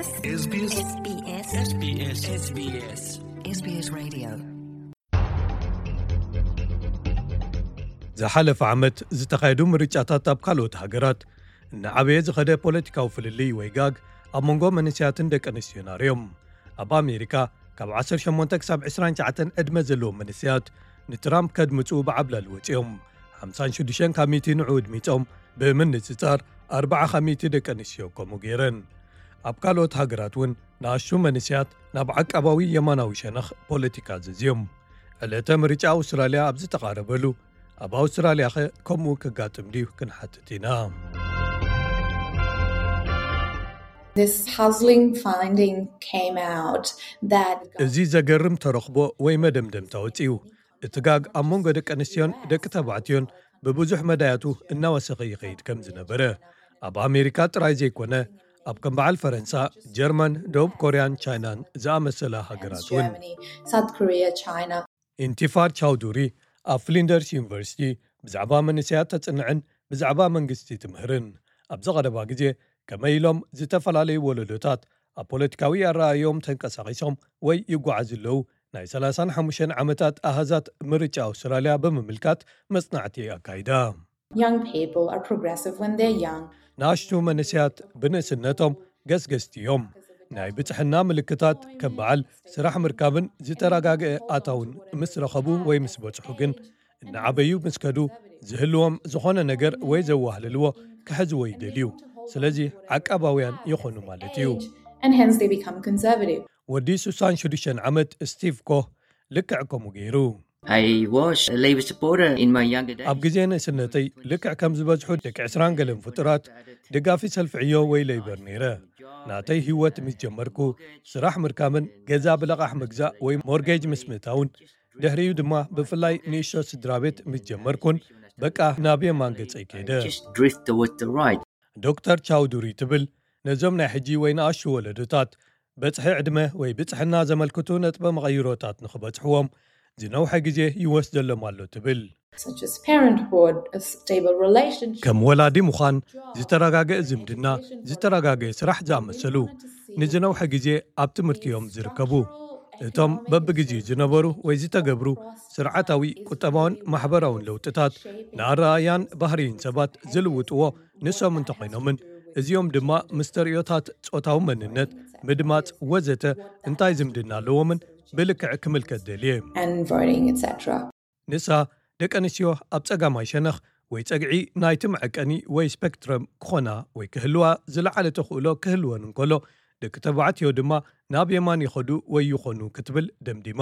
SBS SBS SBS SBS Radio. ዝሓለፈ ዓመት ዝተኻየዱ ምርጫታት ኣብ ካልኦት ሃገራት እናዓበየ ዝኸደ ፖለቲካዊ ፍልልይ ወይ ጋግ ኣብ መንጎ መንእሰያትን ደቂ ኣንስትዮን ኣርዮም። ኣብ ኣሜሪካ ካብ ዓሰርተ ሸሞንተ ክሳብ ዕስራን ትሽዓተን ዕድመ ዘለዎም መንእሰያት ንትራምፕ ከድምፁ ብዓብላል ወፂኦም። ሓምሳን ሽዱሽተን ካብ ሚእቲ ንዕኡ ኣድሚፆም፣ ብምንፅፃር ኣርባዓ ካብ ሚእቲ ደቂ ኣንስትዮ ከምኡ ገይረን። ኣብ ካልኦት ሃገራት እውን ንኣሽቱ መንእሰያት ናብ ዓቃባዊ የማናዊ ሸነኽ ፖለቲካ ዘዝዮም። ዕለተ ምርጫ ኣውስትራልያ ኣብ ዝተቓረበሉ፣ ኣብ ኣውስትራልያ ኸ ከምኡ ክጋጥም ድዩ ክንሓትት ኢና። This puzzling finding came out that እዚ ዘገርም ተረኽቦ ወይ መደምደምታ ወፂኡ። እቲ ጋግ ኣብ መንጎ ደቂ ኣንስትዮን ደቂ ተባዕትዮን ብብዙሕ መዳያቱ እናወሰኸ ይኸይድ ከም ዝነበረ፣ ኣብ ኣሜሪካ ጥራይ ዘይኮነ፣ ኣብ ከም በዓል ፈረንሳ፣ ጀርመን፣ ደቡብ ኮርያን ቻይናን ዝኣመሰላ ሃገራት እውን። Germany, South Korea, China. ኢንቲፋር ቻውዱሪ ኣብ ፍሊንደርስ ዩኒቨርሲቲ ብዛዕባ መንእሰያት ተጽንዕን ብዛዕባ መንግስቲ ትምህርን። ኣብዚ ቀረባ ግዜ ከመይ ኢሎም ዝተፈላለዩ ወለዶታት ኣብ ፖለቲካዊ ኣረኣእዮም ተንቀሳቒሶም ወይ ይጓዓዙ ኣለዉ፣ ናይ ሰላሳን ሓሙሽተን ዓመታት ኣሃዛት ምርጫ ኣውስትራልያ ብምምልካት መጽናዕቲ ኣካይዳ። Young people are progressive when they're young. ንኣሽቱ መንእሰያት ብንእስነቶም ገስገስቲ እዮም። ናይ ብጽሕና ምልክታት ከም በዓል ስራሕ ምርካብን ዝተረጋግአ ኣታውን ምስ ረኸቡ ወይ ምስ በጽሑ ግን፣ እናዓበዩ ምስ ከዱ ዝህልዎም ዝኾነ ነገር ወይ ዘዋህልልዎ ክሕዝዎ ይደልዩ። ስለዚ ዓቃባውያን ይኾኑ ማለት እዩ። And hence they become conservative. ወዲ ስሳን ሽዱሽተን ዓመት ስቲቭ ኮህ ልክዕ ከምኡ ገይሩ። I was a Labour supporter in my younger days. ኣብ ግዜ ንእስነተይ ልክዕ ከም ዝበዝሑ ደቂ ዕስራን ገለን ፍጡራት ደጋፊ ሰልፊ ዕዮ ወይ ሌይበር ነይረ። ናተይ ህይወት ምስ ጀመርኩ፣ ስራሕ ምርካብን ገዛ ብለቓሕ ምግዛእ ወይ ሞርጌጅ ምስ ምእታውን፣ ድሕሪኡ ድማ ብፍላይ ንእሽቶ ስድራ ቤት ምስ ጀመርኩን፣ በቃ ናብ የማን ገጸይ ከይደ። Just drift towards the right. ዶክተር ቻውዱሪ ትብል፣ ነዞም ናይ ሕጂ ወይ ንኣሽቱ ወለዶታት በጽሒ ዕድመ ወይ ብጽሕና ዘመልክቱ ነጥበ መቐይሮታት ንኽበጽሕዎም ዝነውሐ ግዜ ይወስደሎም ኣሎ ትብል። Such as parenthood, a stable relationship. ከም ወላዲ ምዃን፣ ዝተረጋገአ ዝምድና፣ ዝተረጋገአ ስራሕ ዝኣመሰሉ ንዝነውሐ ግዜ ኣብ ትምህርቲ እዮም ዝርከቡ። እቶም በብግዜኡ ዝነበሩ ወይ ዝተገብሩ ስርዓታዊ፣ ቁጠባውን ማሕበራውን ለውጥታት ንኣረኣእያን ባህርይን ሰባት ዝልውጥዎ ንሶም እንተኾይኖምን፣ እዚኦም ድማ ምስ ተርእዮታት ጾታዊ መንነት፣ ምድማጽ ወዘተ እንታይ ዝምድና ኣለዎምን ብልክዕ ክምልከት ደልየ። And voting, et cetera. ንሳ ደቂ ኣንስትዮ ኣብ ጸጋማይ ሸነኽ ወይ ጸግዒ ናይቲ መዐቀኒ ወይ ስፔክትረም ክኾና ወይ ክህልዋ ዝለዓለ ተኽእሎ ክህልወን እንከሎ፣ ደቂ ተባዕትዮ ድማ ናብ የማን ይኸዱ ወይ ይኾኑ ክትብል ደምዲማ።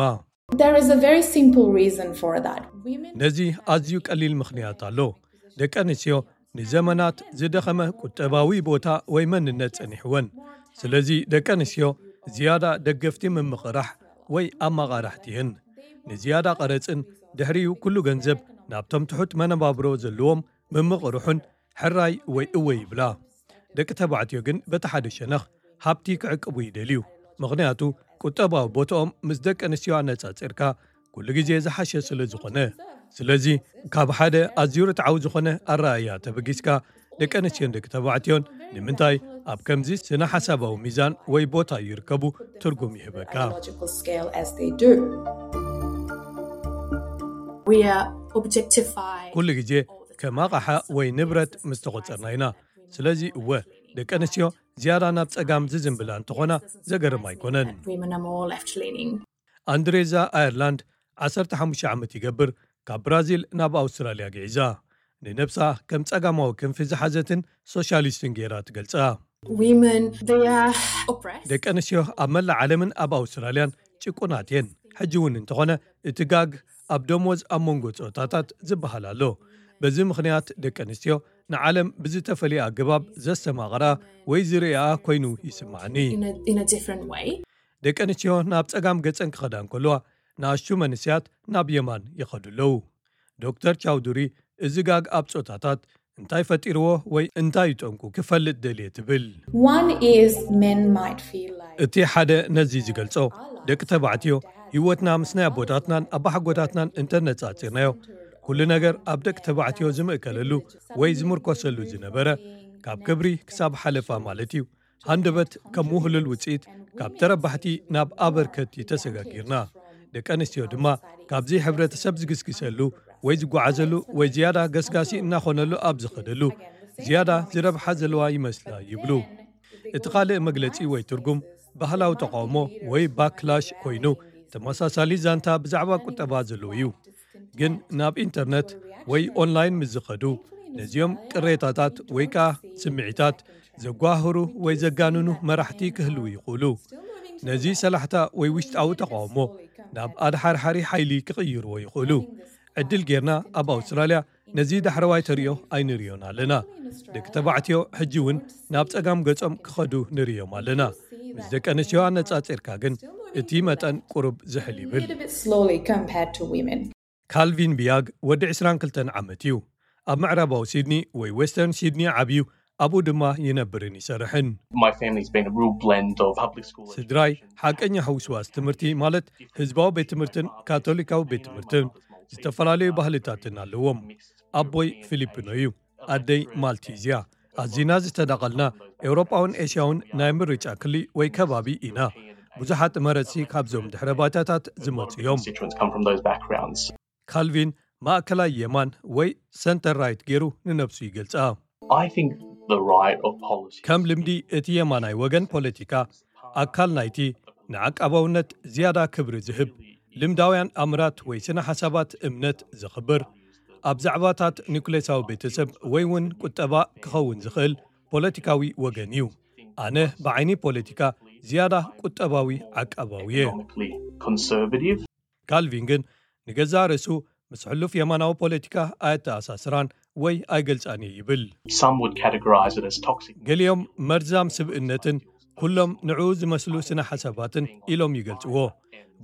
There is a very simple reason for that. Women ነዚ ኣዝዩ ቀሊል ምኽንያት ኣሎ። ደቂ ኣንስትዮ ንዘመናት ዝደኸመ ቁጠባዊ ቦታ ወይ መንነት ጸኒሕወን። ስለዚ ደቂ ኣንስትዮ ዝያዳ ደገፍቲ ምምቕራሕ ወይ ኣመቓራሕቲ እየን። ንዝያዳ ቀረጽን ድሕሪኡ ኩሉ ገንዘብ ናብቶም ትሑት መነባብሮ ዘለዎም ምምቕርሑን ሕራይ ወይ እወ ይብላ። ደቂ ተባዕትዮ ግን በቲ ሓደ ሸነኽ ሃብቲ ክዕቅቡ ይደልዩ። ምኽንያቱ ቁጠባዊ ቦታኦም ምስ ደቂ ኣንስትዮ ኣነጻጺርካ ኩሉ ግዜ ዝሓሸ ስለ ዝኾነ። ስለዚ ካብ ሓደ ኣዝዩ ርትዓዊ ዝኾነ ኣረኣእያ ተበጊስካ፣ ደቂ ኣንስትዮን ደቂ ተባዕትዮን ንምንታይ ኣብ ከምዚ ስነ ሓሳባዊ ሚዛን ወይ ቦታ ይርከቡ ትርጉም ይህበካ። Logical scale as they do. We are objectified. ኩሉ ግዜ ከም ኣቕሓ ወይ ንብረት ምስ ተቖጸርና ኢና። ስለዚ እወ፣ ደቂ ኣንስትዮ ዝያዳ ናብ ጸጋም ዝዝንብላ እንተኾና ዘገርም ኣይኮነን። Women are more left leaning. ኣንድሬዛ ኣየርላንድ ዓሰርተ ሓሙሽተ ዓመት ይገብር ካብ ብራዚል ናብ ኣውስትራልያ ግዒዛ። ንነብሳ ከም ጸጋማዊ ክንፊ ዝሓዘትን ሶሻሊስትን ገይራ ትገልጻ። Women, they are oppressed. ደቂ ኣንስትዮ ኣብ መላእ ዓለምን ኣብ ኣውስትራልያን ጭቁናት እየን። ሕጂ እውን እንተኾነ እቲ ጋግ ኣብ ደሞዝ ኣብ መንጎ ጾታታት ዝበሃል ኣሎ። በዚ ምኽንያት ደቂ ኣንስትዮ ንዓለም ብዝተፈልየ ኣገባብ ዘስተማቕራ ወይ ዝርእያ ኮይኑ ይስማዓኒ። In a, in a different way. ደቂ ኣንስትዮ ናብ ጸጋም ገጸን ክኸዳ እንከለዋ፣ ንኣሽቱ መንእሰያት ናብ የማን ይኸዱ ኣለዉ። ዶክተር ቻውዱሪ፣ እዚ ጋግ ኣብ ጾታታት እንታይ ፈጢርዎ ወይ እንታይ እዩ ጠንቁ ክፈልጥ ደልየ ትብል። One is men might feel like እቲ ሓደ ነዚ ዝገልጾ፣ ደቂ ተባዕትዮ ህይወትና ምስ ናይ ኣቦታትናን ኣባሓጎታትናን እንተነጻጺርናዮ፣ ኩሉ ነገር ኣብ ደቂ ተባዕትዮ ዝምእከለሉ ወይ ዝምርኮሰሉ ዝነበረ፣ ካብ ክብሪ ክሳብ ሓለፋ ማለት እዩ፣ ሃንደበት ከም ውህሉል ውፅኢት ካብ ተረባሕቲ ናብ ኣበርከቲ ተሰጋጊርና። ደቂ ኣንስትዮ ድማ ካብዚ ሕብረተሰብ ዝግስግሰሉ ወይ ዝጓዓዘሉ ወይ ዝያዳ ገስጋሲ እናኾነሉ ኣብ ዝኸደሉ ዝያዳ ዝረብሓ ዘለዋ ይመስላ ይብሉ። እቲ ካልእ መግለጺ ወይ ትርጉም ባህላዊ ተቃውሞ ወይ ባክላሽ ኮይኑ ተመሳሳሊ ዛንታ ብዛዕባ ቁጠባ ዘለዎ እዩ። ግን ናብ ኢንተርነት ወይ ኦንላይን ምስ ዝኸዱ ነዚኦም ቅሬታታት ወይ ከኣ ስምዒታት ዘጓህሩ ወይ ዘጋንኑ መራሕቲ ክህልዉ ይኽእሉ። ነዚ ሰላሕታ ወይ ውሽጣዊ ተቃውሞ ናብ ኣድሓርሓሪ ሓይሊ ክቕይርዎ ይኽእሉ። ዕድል ጌርና ኣብ ኣውስትራልያ ነዚ ዳሕረዋይ ተርእዮ ኣይንርእዮን ኣለና። ደቂ ተባዕትዮ ሕጂ እውን ናብ ጸጋም ገጾም ክኸዱ ንርእዮም ኣለና። ምስ ደቂ ኣንስትዮ ኣነጻጺርካ ግን እቲ መጠን ቁሩብ ዝሕል ይብል። Little bit slowly compared to women. ካልቪን ቢያግ ወዲ ዕስራን ክልተን ዓመት እዩ። ኣብ ምዕራባዊ ሲድኒ ወይ ዌስተርን ሲድኒ ዓብዩ፣ ኣብኡ ድማ ይነብርን ይሰርሕን። My family's been a real blend of public school ስድራይ education. ሓቀኛ ሕውስዋስ ትምህርቲ ማለት ህዝባዊ ቤት ትምህርትን ካቶሊካዊ ቤት ትምህርትን ዝተፈላለዩ ባህልታትን ኣለዎም። ኣቦይ ፊሊፒኖ እዩ፣ ኣደይ ማልቲዝያ። ኣዚና ዝተዳቐልና ኤውሮጳውን ኤስያውን ናይ ምርጫ ክሊ ወይ ከባቢ ኢና። ብዙሓት መረፅቲ ካብዞም ድሕረ ባይታታት ዝመፁ እዮም። Constituents come from those backgrounds. ካልቪን ማእከላይ የማን ወይ ሰንተር ራይት ገይሩ ንነብሱ ይገልጻ። I think the right of policy. ከም ልምዲ እቲ የማናይ ወገን ፖለቲካ ኣካል ናይቲ ንዓቃባውነት ዝያዳ ክብሪ ዝህብ ልምዳውያን ኣምራት ወይ ስነ ሓሳባት እምነት ዘኽብር ኣብ ዛዕባታት ኒኩሌሳዊ ቤተሰብ ወይ እውን ቁጠባ ክኸውን ዝኽእል ፖለቲካዊ ወገን እዩ። ኣነ ብዓይኒ ፖለቲካ ዝያዳ ቁጠባዊ ዓቃባዊ እየ። Economically conservative. ካልቪን ግን ንገዛእ ርእሱ ምስ ሕሉፍ የማናዊ ፖለቲካ ኣየተኣሳስራን ወይ ኣይገልጻን እየ ይብል። Some would categorize it as toxic. ገሊኦም መርዛም ስብእነትን ኩሎም ንዕኡ ዝመስሉ ስነ ሓሳባትን ኢሎም ይገልጽዎ።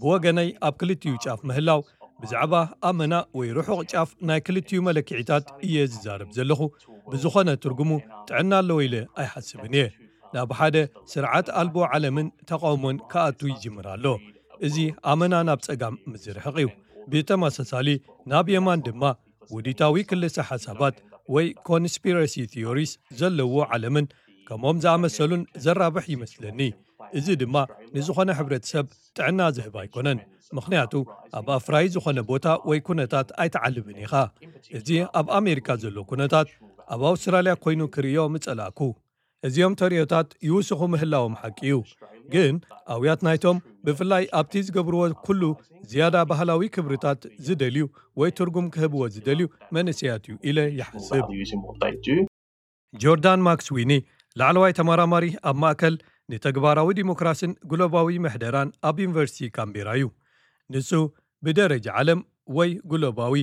ብወገነይ ኣብ ክልቲኡ ጫፍ ምህላው ብዛዕባ ኣመና ወይ ርሑቕ ጫፍ ናይ ክልቲኡ መለክዒታት እየ ዝዛረብ ዘለኹ። ብዝኾነ ትርጉሙ ጥዕና ኣለዎ ኢለ ኣይሓስብን እየ። ናብ ሓደ ስርዓት ኣልቦ ዓለምን ተቃውሞን ክኣቱ ይጅምር ኣሎ። እዚ ኣመና ናብ ጸጋም ምዝርሕቕ እዩ። ብተመሳሳሊ ናብ የማን ድማ ውዲታዊ ክልሰ ሓሳባት ወይ ኮንስፒረሲ ቲዮሪስ ዘለዎ ዓለምን ከምኦም ዝኣመሰሉን ዘራብሕ ይመስለኒ። እዚ ድማ ንዝኾነ ሕብረተሰብ ጥዕና ዝህብ ኣይኮነን። ምኽንያቱ ኣብ ኣፍራይ ዝኾነ ቦታ ወይ ኩነታት ኣይትዓልብን ኢኻ። እዚ ኣብ ኣሜሪካ ዘሎ ኩነታት ኣብ ኣውስትራልያ ኮይኑ ክርእዮ ምጸላእኩ። እዚኦም ተርእዮታት ይውስኹ ምህላዎም ሓቂ እዩ። ግን ኣውያት ናይቶም ብፍላይ ኣብቲ ዝገብርዎ ኩሉ ዝያዳ ባህላዊ ክብርታት ዝደልዩ ወይ ትርጉም ክህብዎ ዝደልዩ መንእሰያት እዩ ኢለ ይሓስብ። Values in what they do. ጆርዳን ማክስዊኒ ላዕለዋይ ተመራማሪ ኣብ ማእከል ንተግባራዊ ዲሞክራስን ግሎባዊ ምሕደራን ኣብ ዩኒቨርሲቲ ካምቤራ እዩ። ንሱ ብደረጃ ዓለም ወይ ግሎባዊ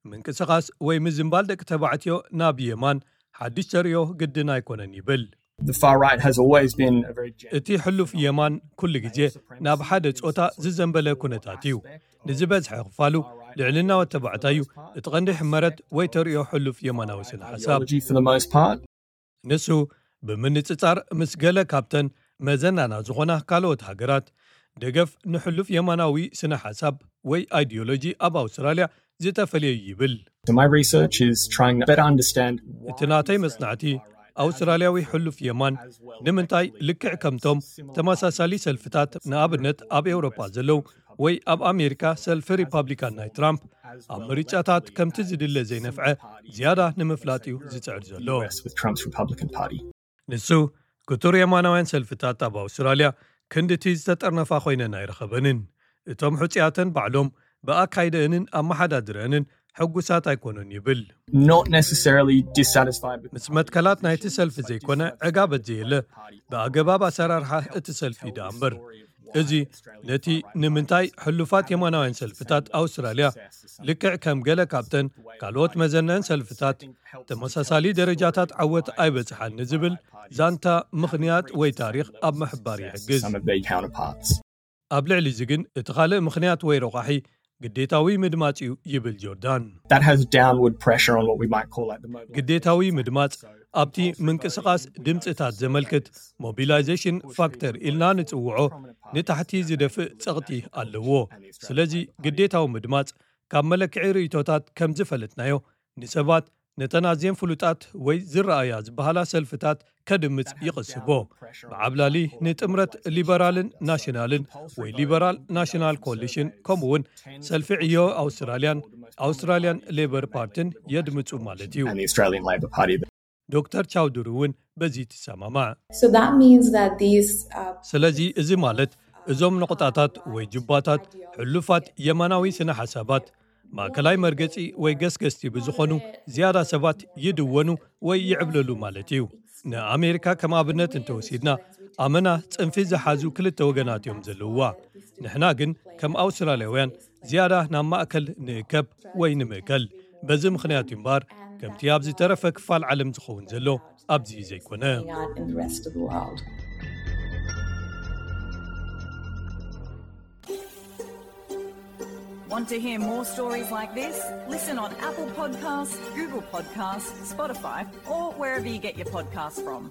ምንቅስቓስ ወይ ምዝንባል ደቂ ተባዕትዮ ናብ የማን ሓድሽ ተርእዮ ግድን ኣይኮነን ይብል። The far right has always been a very gen- እቲ ሕሉፍ የማን ኩሉ ግዜ ናብ ሓደ ጾታ ዝዘንበለ ኩነታት እዩ። ንዝበዝሐ ክፋሉ ልዕልና ወተባዕታይ እዩ እቲ ቀንዲ ሕመረት ወይ ተርእዮ ሕሉፍ የማናዊ ስነ ሓሳብ። ideology for the most part. ንሱ ብምንጽጻር ምስ ገለ ካብተን መዘናና ዝኾና ካልኦት ሃገራት ደገፍ ንሕሉፍ የማናዊ ስነ ሓሳብ ወይ ኣይዲዮሎጂ ኣብ ኣውስትራልያ ዝተፈልየ እዩ ይብል። So my research is trying to better understand why እቲ ናተይ መጽናዕቲ ኣውስትራልያዊ ሕሉፍ የማን ንምንታይ ልክዕ ከምቶም ተመሳሳሊ ሰልፍታት ንኣብነት ኣብ ኤውሮጳ ዘለዉ ወይ ኣብ ኣሜሪካ ሰልፊ ሪፓብሊካን ናይ ትራምፕ ኣብ ምርጫታት ከምቲ ዝድለ ዘይነፍዐ ዝያዳ ንምፍላጥ እዩ ዝጽዕር ዘሎ። U S with Trump's Republican Party. ንሱ ክቱር የማናውያን ሰልፍታት ኣብ ኣውስትራልያ ክንድቲ ዝተጠርነፋ ኮይነን ኣይረኸበንን። እቶም ሕጹያተን ባዕሎም ብኣካይደአንን ኣመሓዳድረአንን ሕጉሳት ኣይኮኑን ይብል። Not necessarily dissatisfied with ምስ መትከላት ናይቲ ሰልፊ ዘይኮነ ዕጋበት ዘየለ ብኣገባብ ኣሰራርሓ እቲ ሰልፊ ደኣ እምበር። እዚ ነቲ ንምንታይ ሕሉፋት የማናውያን ሰልፍታት ኣውስትራልያ ልክዕ ከም ገለ ካብተን ካልኦት መዘነን ሰልፍታት ተመሳሳሊ ደረጃታት ዓወት ኣይበጽሓን ንዝብል ዛንታ ምኽንያት ወይ ታሪኽ ኣብ ምሕባር ይሕግዝ። some of their counterparts. ኣብ ልዕሊ እዚ ግን እቲ ካልእ ምኽንያት ወይ ረቋሒ ግዴታዊ ምድማጽ እዩ ይብል ጆርዳን። That has downward pressure on what we might call like the mobilization. ግዴታዊ ምድማጽ ኣብቲ ምንቅስቓስ ድምፅታት ዘመልክት ሞቢላይዜሽን ፋክተር ኢልና ንጽውዖ ንታሕቲ ዝደፍእ ጸቕጢ ኣለዎ። ስለዚ ግዴታዊ ምድማጽ ካብ መለክዒ ርእይቶታት ከም ዝፈለጥናዮ ንሰባት ነተን ኣዝየን ፍሉጣት ወይ ዝረኣያ ዝበሃላ ሰልፍታት ከድምጽ ይቕስቦ። ብዓብላሊ ንጥምረት ሊበራልን ናሽናልን ወይ ሊበራል ናሽናል ኮሊሽን፣ ከምኡ እውን ሰልፊ ዕዮ ኣውስትራልያን ኣውስትራልያን ሌበር ፓርትን የድምጹ ማለት እዩ። ዶክተር ቻውድሪ እውን በዚ ትሰማማዕ። ስለዚ እዚ ማለት እዞም ነቑጣታት ወይ ጁባታት፣ ሕሉፋት የማናዊ ስነ ሓሳባት፣ ማእከላይ መርገጺ ወይ ገስገስቲ ብዝኾኑ ዝያዳ ሰባት ይድወኑ ወይ ይዕብለሉ ማለት እዩ። ንኣሜሪካ ከም ኣብነት እንተወሲድና፣ ኣመና ጽንፊ ዝሓዙ ክልተ ወገናት እዮም ዘለውዋ። ንሕና ግን ከም ኣውስትራልያውያን ዝያዳ ናብ ማእከል ንእከብ ወይ ንምእከል። በዚ ምኽንያት እዩ እምበኣር ከምቲ ኣብ ዝተረፈ ክፋል ዓለም ዝኸውን ዘሎ ኣብዚ ዘይኮነ። Want to hear more stories like this? Listen on Apple Podcasts, Google Podcasts, Spotify, or wherever you get your podcasts from.